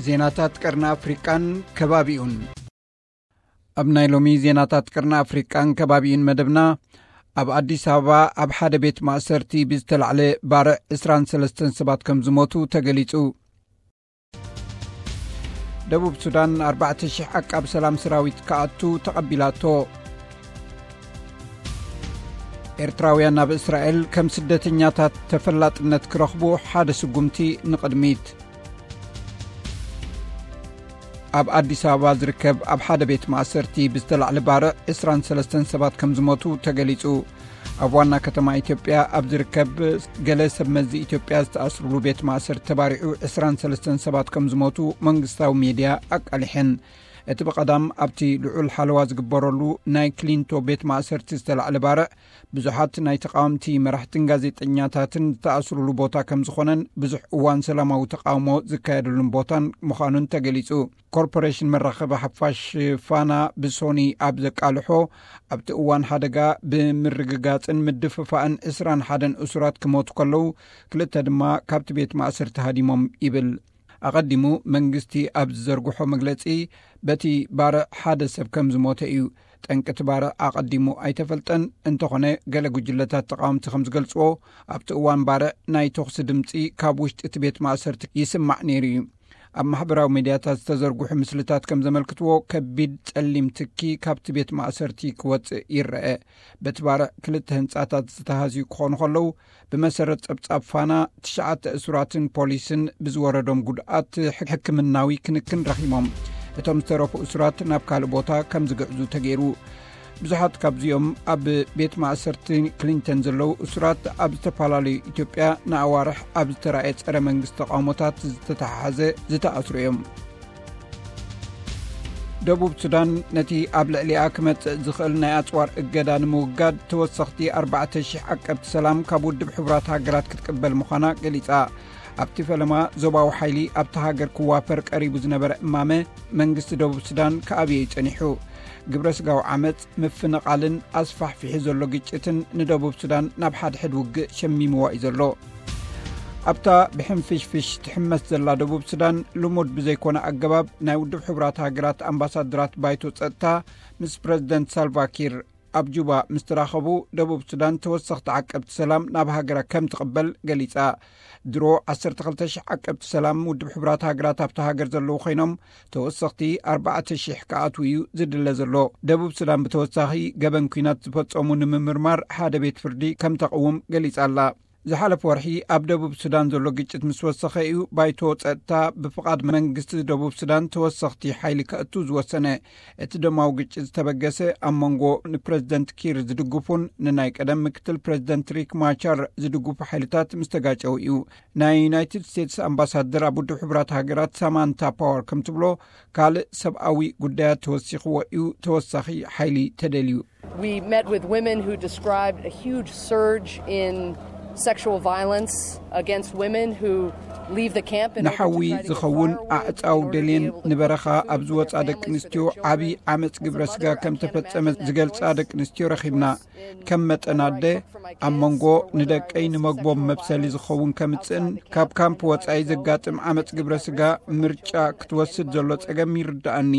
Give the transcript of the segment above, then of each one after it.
ዜናታት ቀርኒ ኣፍሪቃን ከባቢኡን። ኣብ ናይ ሎሚ ዜናታት ቀርኒ ኣፍሪቃን ከባቢኡን መደብና፣ ኣብ ኣዲስ ኣበባ ኣብ ሓደ ቤት ማእሰርቲ ብዝተላዕለ ባርዕ ዕስራን ሰለስተን ሰባት ከም ዝሞቱ ተገሊጹ። ደቡብ ሱዳን ኣርባዕተ ሽሕ ዓቃብ ሰላም ሰራዊት ክኣቱ ተቐቢላቶ። ኤርትራውያን ኣብ እስራኤል ከም ስደተኛታት ተፈላጥነት ክረኽቡ ሓደ ስጉምቲ ንቕድሚት። ኣብ ኣዲስ ኣበባ ዝርከብ ኣብ ሓደ ቤት ማእሰርቲ ብዝተላዕለ ባርዕ ዕስራን ሰለስተን ሰባት ከም ዝሞቱ ተገሊጹ። ኣብ ዋና ከተማ ኢትዮጵያ ኣብ ዝርከብ ገለ ሰብ መዚ ኢትዮጵያ ዝተኣስሩሉ ቤት ማእሰርቲ ተባሪዑ ዕስራን ሰለስተን ሰባት ከም ዝሞቱ መንግስታዊ ሜድያ ኣቃሊሐን። እቲ ብቐዳም ኣብቲ ልዑል ሓለዋ ዝግበረሉ ናይ ክሊንቶ ቤት ማእሰርቲ ዝተላዕለ ባርዕ፣ ብዙሓት ናይ ተቃወምቲ መራሕትን ጋዜጠኛታትን ዝተኣስሩሉ ቦታ ከም ዝኾነን ብዙሕ እዋን ሰላማዊ ተቃውሞ ዝካየደሉን ቦታን ምዃኑን ተገሊጹ። ኮርፖሬሽን መራኸቢ ሓፋሽ ፋና ብሶኒ ኣብ ዘቃልሖ፣ ኣብቲ እዋን ሓደጋ ብምርግጋጽን ምድፍፋእን ዕስራን ሓደን እሱራት ክሞቱ ከለዉ፣ ክልተ ድማ ካብቲ ቤት ማእሰርቲ ሃዲሞም ይብል። ኣቐዲሙ መንግስቲ ኣብ ዝዘርግሖ መግለጺ፣ በቲ ባርዕ ሓደ ሰብ ከም ዝሞተ እዩ። ጠንቂ እቲ ባርዕ ኣቐዲሙ ኣይተፈልጠን። እንተኾነ፣ ገለ ጉጅለታት ተቓወምቲ ከም ዝገልጽዎ፣ ኣብቲ እዋን ባርዕ ናይ ተኹሲ ድምጺ ካብ ውሽጢ እቲ ቤት ማእሰርቲ ይስማዕ ነይሩ እዩ። ኣብ ማሕበራዊ ሚድያታት ዝተዘርግሑ ምስልታት ከም ዘመልክትዎ፣ ከቢድ ጸሊም ትኪ ካብቲ ቤት ማእሰርቲ ክወጽእ ይረአ። በቲ ባርዕ ክልተ ህንጻታት ዝተሃዝዩ ክኾኑ ከለዉ፣ ብመሰረት ጸብጻብ ፋና፣ ትሽዓተ እሱራትን ፖሊስን ብዝወረዶም ጉድኣት ሕክ-፣ ሕክምናዊ ክንክን ረኺቦም። እቶም ዝተረፉ እሱራት ናብ ካልእ ቦታ ከም ዝግዕዙ ተገይሩ። ብዙሓት ካብዚኦም ኣብ ቤት ማእሰርቲ ክሊንተን ዘለዉ እሱራት ኣብ ዝተፈላለዩ ኢትዮጵያ ንኣዋርሕ ኣብ ዝተራእየ ጸረ መንግስቲ ተቃውሞታት ዝተተሓሓዘ ዝተኣስሩ እዮም። ደቡብ ሱዳን ነቲ ኣብ ልዕሊኣ ክመጽእ ዝኽእል ናይ ኣጽዋር እገዳ ንምውጋድ ተወሰኽቲ ኣርባዕተ ሽሕ ዓቀብቲ ሰላም ካብ ውድብ ሕቡራት ሃገራት ክትቅበል ምዃና ገሊጻ። ኣብቲ ፈለማ ዞባዊ ሓይሊ ኣብታ ሃገር ክዋፈር ቀሪቡ ዝነበረ እማመ መንግስቲ ደቡብ ሱዳን ክኣብዮ እዩ ጸኒሑ። ግብረ ስጋዊ ዓመጽ፣ ምፍንቓልን ኣስፋሕፊሑ ዘሎ ግጭትን ንደቡብ ሱዳን ናብ ሓድሕድ ውግእ ሸሚምዋ እዩ ዘሎ። ኣብታ ብሕንፍሽፍሽ ትሕመስ ዘላ ደቡብ ሱዳን፣ ልሙድ ብዘይኮነ ኣገባብ ናይ ውድብ ሕቡራት ሃገራት ኣምባሳደራት ባይቶ ጸጥታ ምስ ፕረዚደንት ሳልቫ ኪር ኣብ ጁባ ምስ ተራኸቡ፣ ደቡብ ሱዳን ተወሰኽቲ ዓቀብቲ ሰላም ናብ ሃገራ ከም ትቕበል ገሊጻ። ድሮ ዓሰርተ ክልተ ሽሕ ዓቀብቲ ሰላም ውድብ ሕቡራት ሃገራት ኣብታ ሃገር ዘለዉ ኮይኖም፣ ተወሰኽቲ ኣርባዕተ ሽሕ ክኣትዉ እዩ ዝድለ ዘሎ። ደቡብ ሱዳን ብተወሳኺ ገበን ኲናት ዝፈጸሙ ንምምርማር ሓደ ቤት ፍርዲ ከም ተቕውም ገሊጻ ኣላ። ዝሓለፈ ወርሒ ኣብ ደቡብ ሱዳን ዘሎ ግጭት ምስ ወሰኸ እዩ ባይቶ ጸጥታ ብፍቓድ መንግስቲ ደቡብ ሱዳን ተወሰኽቲ ሓይሊ ከእቱ ዝወሰነ። እቲ ደማዊ ግጭት ዝተበገሰ ኣብ መንጎ ንፕረዚደንት ኪር ዝድግፉን ንናይ ቀደም ምክትል ፕረዚደንት ሪክ ማቻር ዝድግፉ ሓይልታት ምስ ተጋጨው እዩ። ናይ ዩናይትድ ስቴትስ ኣምባሳደር ኣብ ውድብ ሕቡራት ሃገራት ሳማንታ ፓወር ከም ትብሎ፣ ካልእ ሰብኣዊ ጉዳያት ተወሲኽዎ እዩ፣ ተወሳኺ ሓይሊ ተደልዩ። We met with women who described a huge surge in sexual violence against women who leave the camp in order to ንሓዊ try to get ዝኸውን far away, ኣዕጻው in order to ደልየን be able to ንበረኻ pursue ኣብ ዝወጻ their ደቂ families, for ኣንስትዮ their ዓቢ children. ዓመጽ ግብረ ስጋ ከም ተፈጸመ ዝገልጻ ደቂ ኣንስትዮ ረኺብና። ከም መጠን ኣደ፣ ኣብ መንጎ ንደቀይ ንመግቦም መብሰሊ ዝኸውን ከምጽእን ካብ ካምፕ ወጻኢ ዘጋጥም ዓመጽ ግብረ ስጋ ምርጫ ክትወስድ ዘሎ ጸገም ይርድኣኒ።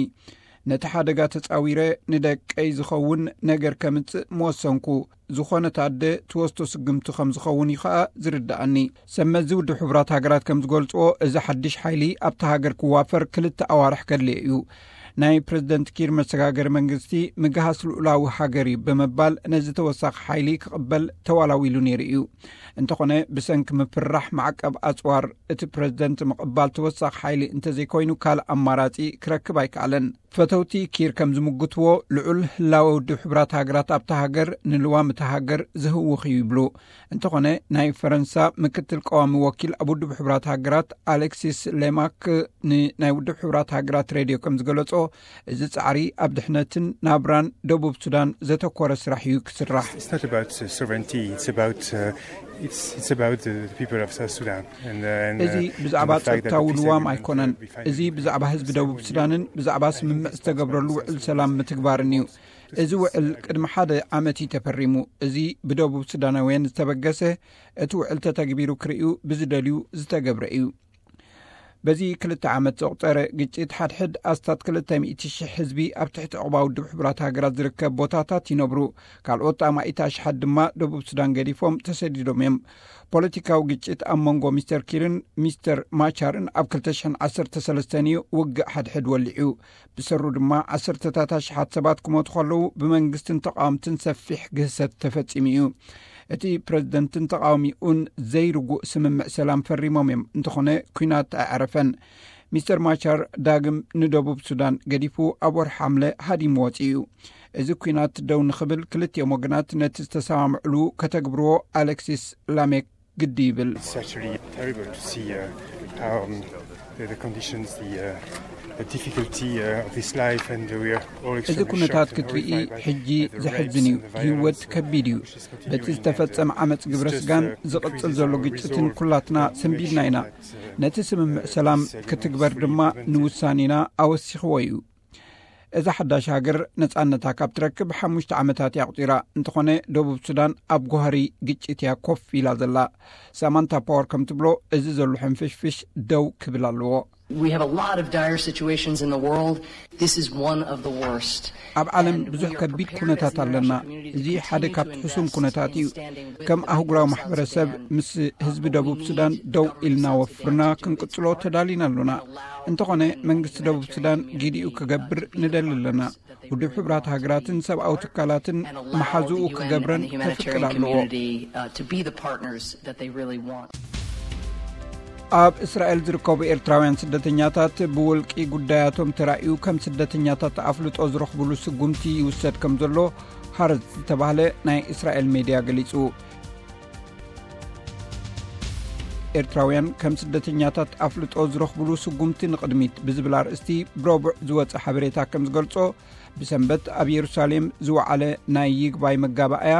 ነቲ ሓደጋ ተጻዊረ ንደቀይ ዝኸውን ነገር ከምጽእ ምወሰንኩ። ዝኾነት ኣደ ትወስዶ ስግምቲ ከም ዝኸውን እዩ ኸኣ ዝርድኣኒ። ሰብ መዚ ውድብ ሕቡራት ሃገራት ከም ዝገልጽዎ፣ እዚ ሓድሽ ሓይሊ ኣብታ ሃገር ክዋፈር ክልተ ኣዋርሕ ከድልዮ እዩ። ናይ ፕረዚደንት ኪር መሰጋገሪ መንግስቲ ምግሃስ ልኡላዊ ሃገር እዩ ብምባል ነዚ ተወሳኺ ሓይሊ ክቕበል ተዋላዊሉ ነይሩ እዩ። እንተኾነ ብሰንኪ ምፍርራሕ ማዕቀብ ኣጽዋር እቲ ፕረዚደንት ምቕባል ተወሳኺ ሓይሊ እንተዘይኮይኑ ካልእ ኣማራጺ ክረክብ ኣይከኣለን። ፈተውቲ ኪር ከም ዝምጉትዎ፣ ልዑል ህላወ ውድብ ሕቡራት ሃገራት ኣብታ ሃገር ንልዋም እታ ሃገር ዝህውኽ እዩ ይብሉ። እንተኾነ ናይ ፈረንሳ ምክትል ቀዋሚ ወኪል ኣብ ውድብ ሕቡራት ሃገራት ኣሌክሲስ ሌማክ ንናይ ውድብ ሕቡራት ሃገራት ሬድዮ ከም ዝገለጾ፣ እዚ ጻዕሪ ኣብ ድሕነትን ናብራን ደቡብ ሱዳን ዘተኮረ ስራሕ እዩ ክስራሕ። It's not about, uh, sovereignty, it's about, uh, it's, it's about the, the people of South Sudan. And, uh, and, እዚ uh, ብዛዕባ and the fact that ጸጥታዊ the peace ልዋም agreement, uh, ኣይኮነን። We finally እዚ ብዛዕባ ህዝቢ ደቡብ ሱዳንን ብዛዕባ ስምምዕ ዝተገብረሉ ውዕል ሰላም ምትግባርን እዩ። እዚ ውዕል ቅድሚ ሓደ ዓመት እዩ ተፈሪሙ። እዚ ብደቡብ ሱዳናውያን ዝተበገሰ፣ እቲ ውዕል ተተግቢሩ ክርእዩ ብዝደልዩ ዝተገብረ እዩ። በዚ ክልተ ዓመት ዘቑጸረ ግጭት፣ ሓድሕድ ኣስታት ክልተ ሚእቲ ሽሕ ህዝቢ ኣብ ትሕቲ ዕቑባ ውድብ ሕቡራት ሃገራት ዝርከብ ቦታታት ይነብሩ። ካልኦት ኣማኢት ኣሽሓት ድማ ደቡብ ሱዳን ገዲፎም ተሰዲዶም እዮም። ፖለቲካዊ ግጭት ኣብ መንጎ ሚስተር ኪርን ሚስተር ማቻርን ኣብ ክልተ ሽሕን ዓሰርተ ሰለስተን እዩ ውግእ ሓድሕድ ወሊዑ። ብሰሩ ድማ ዓሰርተታት ኣሽሓት ሰባት ክሞቱ ከለዉ፣ ብመንግስትን ተቃወምትን ሰፊሕ ግህሰት ተፈጺሙ እዩ። እቲ ፕረዚደንትን ተቃዋሚኡን ዘይርጉእ ስምምዕ ሰላም ፈሪሞም እዮም፣ እንተኾነ ኲናት ኣይዓረፈን። ሚስተር ማቻር ዳግም ንደቡብ ሱዳን ገዲፉ ኣብ ወርሒ ሓምለ ሃዲሙ ወጺኡ እዩ። እዚ ኲናት ደው ንኽብል ክልቲኦም ወገናት ነቲ ዝተሰማምዕሉ ከተግብርዎ ኣሌክሲስ ላሜክ ግዲ ይብል። It's actually terrible to see uh, how um, the, the conditions, the, uh, the difficulty uh, of this life, and we are all እዚ ኩነታት ክትርኢ ሕጂ ዘሕዝን እዩ። ህይወት ከቢድ እዩ። በቲ ዝተፈጸመ ዓመፅ ግብረ ስጋን ዝቕጽል ዘሎ ግጭትን ኩላትና ሰንቢድና ኢና። ነቲ ስምምዕ ሰላም ክትግበር ድማ ንውሳኔና ኣወሲኽዎ እዩ። እዛ ሓዳሽ ሃገር ነጻነታ ካብ ትረክብ ሓሙሽተ ዓመታት እያ ኣቑጺራ። እንተኾነ ደቡብ ሱዳን ኣብ ጓህሪ ግጭት እያ ኮፍ ኢላ ዘላ። ሳማንታ ፓወር ከም ትብሎ፣ እዚ ዘሎ ሕንፍሽፍሽ ደው ክብል ኣለዎ። We have a lot of dire situations in the world. This is one of the worst. ኣብ ዓለም ብዙሕ ከቢድ ኩነታት ኣለና። እዚ ሓደ ካብቲ ሕሱም ኩነታት እዩ። ከም ኣህጉራዊ ማሕበረሰብ ምስ ህዝቢ ደቡብ ሱዳን ደው ኢልና ወፍርና ክንቅጽሎ ተዳሊና ኣሎና። እንተኾነ መንግስቲ ደቡብ ሱዳን ጊዲኡ ክገብር ንደሊ ኣለና። ውድብ ሕቡራት ሃገራትን ሰብኣዊ ትካላትን መሓዝኡ ክገብረን ከፍቅድ ኣለዎ። ኣብ እስራኤል ዝርከቡ ኤርትራውያን ስደተኛታት ብውልቂ ጉዳያቶም ተራእዩ ከም ስደተኛታት ኣፍልጦ ዝረኽብሉ ስጉምቲ ይውሰድ ከም ዘሎ ሃረጽ ዝተባህለ ናይ እስራኤል ሜድያ ገሊጹ። ኤርትራውያን ከም ስደተኛታት ኣፍልጦ ዝረኽብሉ ስጉምቲ ንቕድሚት ብዝብል ኣርእስቲ ብረቡዕ ዝወጸ ሓበሬታ ከም ዝገልጾ፣ ብሰንበት ኣብ የሩሳሌም ዝወዓለ ናይ ይግባይ መጋባእያ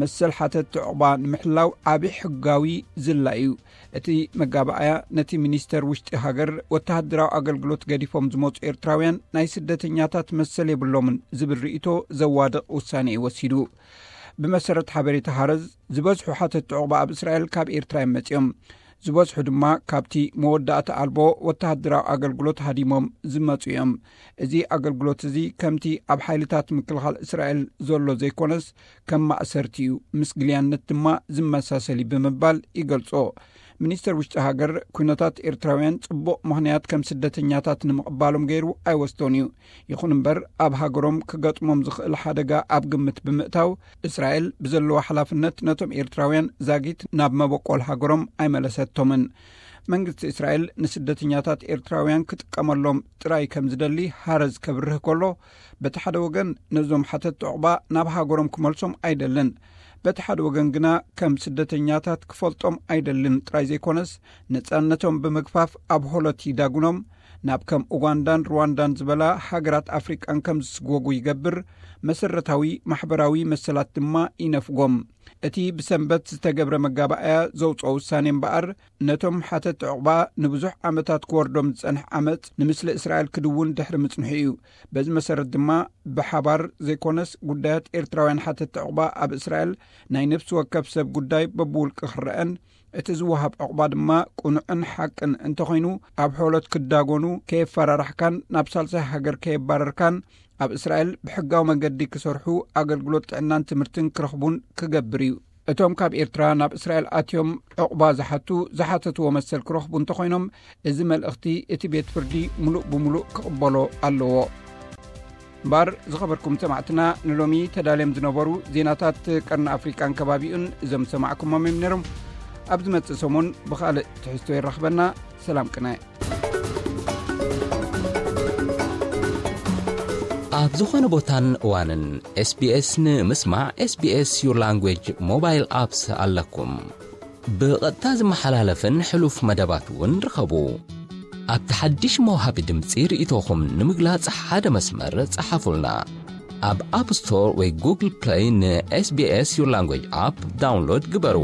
መሰል ሓተት ዕቑባ ንምሕላው ዓቢ ሕጋዊ ዝላ እዩ። እቲ መጋባእያ ነቲ ሚኒስተር ውሽጢ ሃገር ወተሃደራዊ ኣገልግሎት ገዲፎም ዝመጹ ኤርትራውያን ናይ ስደተኛታት መሰል የብሎምን ዝብል ርእይቶ ዘዋድቕ ውሳኔ እዩ ወሲዱ። ብመሰረት ሓበሬታ ሃረዝ፣ ዝበዝሑ ሓተት ዕቑባ ኣብ እስራኤል ካብ ኤርትራ እዮም መጺኦም። ዝበዝሑ ድማ ካብቲ መወዳእታ ኣልቦ ወተሃደራዊ ኣገልግሎት ሃዲሞም ዝመጹ እዮም። እዚ ኣገልግሎት እዚ ከምቲ ኣብ ሓይልታት ምክልኻል እስራኤል ዘሎ ዘይኮነስ፣ ከም ማእሰርቲ እዩ፣ ምስ ግልያነት ድማ ዝመሳሰል እዩ ብምባል ይገልጾ። ሚኒስተር ውሽጢ ሃገር፣ ኩነታት ኤርትራውያን ጽቡቕ ምኽንያት ከም ስደተኛታት ንምቕባሎም ገይሩ ኣይወስዶን እዩ። ይኹን እምበር፣ ኣብ ሃገሮም ክገጥሞም ዝኽእል ሓደጋ ኣብ ግምት ብምእታው፣ እስራኤል ብዘለዋ ሓላፍነት ነቶም ኤርትራውያን ዛጊት ናብ መበቆል ሃገሮም ኣይመለሰቶምን። መንግስቲ እስራኤል ንስደተኛታት ኤርትራውያን ክጥቀመሎም ጥራይ ከም ዝደሊ ሃረዝ ከብርህ ከሎ፣ በቲ ሓደ ወገን ነዞም ሓተት ዕቑባ ናብ ሃገሮም ክመልሶም ኣይደልን። በቲ ሓደ ወገን ግና ከም ስደተኛታት ክፈልጦም ኣይደልን ጥራይ ዘይኮነስ፣ ነጻነቶም ብምግፋፍ ኣብ ሆሎት ይዳጉኖም፣ ናብ ከም ኡጋንዳን ሩዋንዳን ዝበላ ሃገራት ኣፍሪቃን ከም ዝስጎጉ ይገብር፣ መሰረታዊ ማሕበራዊ መሰላት ድማ ይነፍጎም። እቲ ብሰንበት ዝተገብረ መጋባእያ ዘውጽኦ ውሳኔ እምበኣር፣ ነቶም ሓተት ዕቑባ ንብዙሕ ዓመታት ክወርዶም ዝጸንሕ ዓመጽ ንምስሊ እስራኤል ክድውን ድሕሪ ምጽንሑ እዩ። በዚ መሰረት ድማ ብሓባር ዘይኮነስ ጉዳያት ኤርትራውያን ሓተት ዕቑባ ኣብ እስራኤል ናይ ነፍሲ ወከፍ ሰብ ጉዳይ በብውልቂ ክረአን፣ እቲ ዝወሃብ ዕቑባ ድማ ቅኑዕን ሓቅን እንተኾይኑ፣ ኣብ ሖሎት ክዳጎኑ፣ ከየፈራራሕካን ናብ ሳልሳይ ሃገር ከየባረርካን፣ ኣብ እስራኤል ብሕጋዊ መገዲ ክሰርሑ፣ ኣገልግሎት ጥዕናን ትምህርትን ክረኽቡን ክገብር እዩ። እቶም ካብ ኤርትራ ናብ እስራኤል ኣትዮም ዕቑባ ዝሓቱ፣ ዝሓተትዎ መሰል ክረኽቡ እንተኾይኖም፣ እዚ መልእኽቲ እቲ ቤት ፍርዲ ምሉእ ብምሉእ ክቕበሎ ኣለዎ። እምበኣር ዝኸበርኩም ሰማዕትና፣ ንሎሚ ተዳልዮም ዝነበሩ ዜናታት ቀርኒ ኣፍሪቃን ከባቢኡን እዞም ዝሰማዕኩሞም እዮም ነይሮም። ኣብ ዝመጽእ ሰሙን ብኻልእ ትሕዝቶ የራኽበና። ሰላም ቅነ። ኣብ ዝኾነ ቦታን እዋንን ኤስቢኤስ ንምስማዕ ኤስቢኤስ ዩር ላንጉጅ ሞባይል ኣፕስ ኣለኩም። ብቐጥታ ዝመሓላለፍን ሕሉፍ መደባት እውን ርኸቡ። ኣብቲ ሓድሽ መውሃቢ ድምፂ ርእይቶኹም ንምግላጽ ሓደ መስመር ጸሓፉልና። ኣብ ኣፕ ስቶር ወይ ጉግል ፕለይ ንኤስቢኤስ ዩር ላንጉጅ ኣፕ ዳውንሎድ ግበሩ።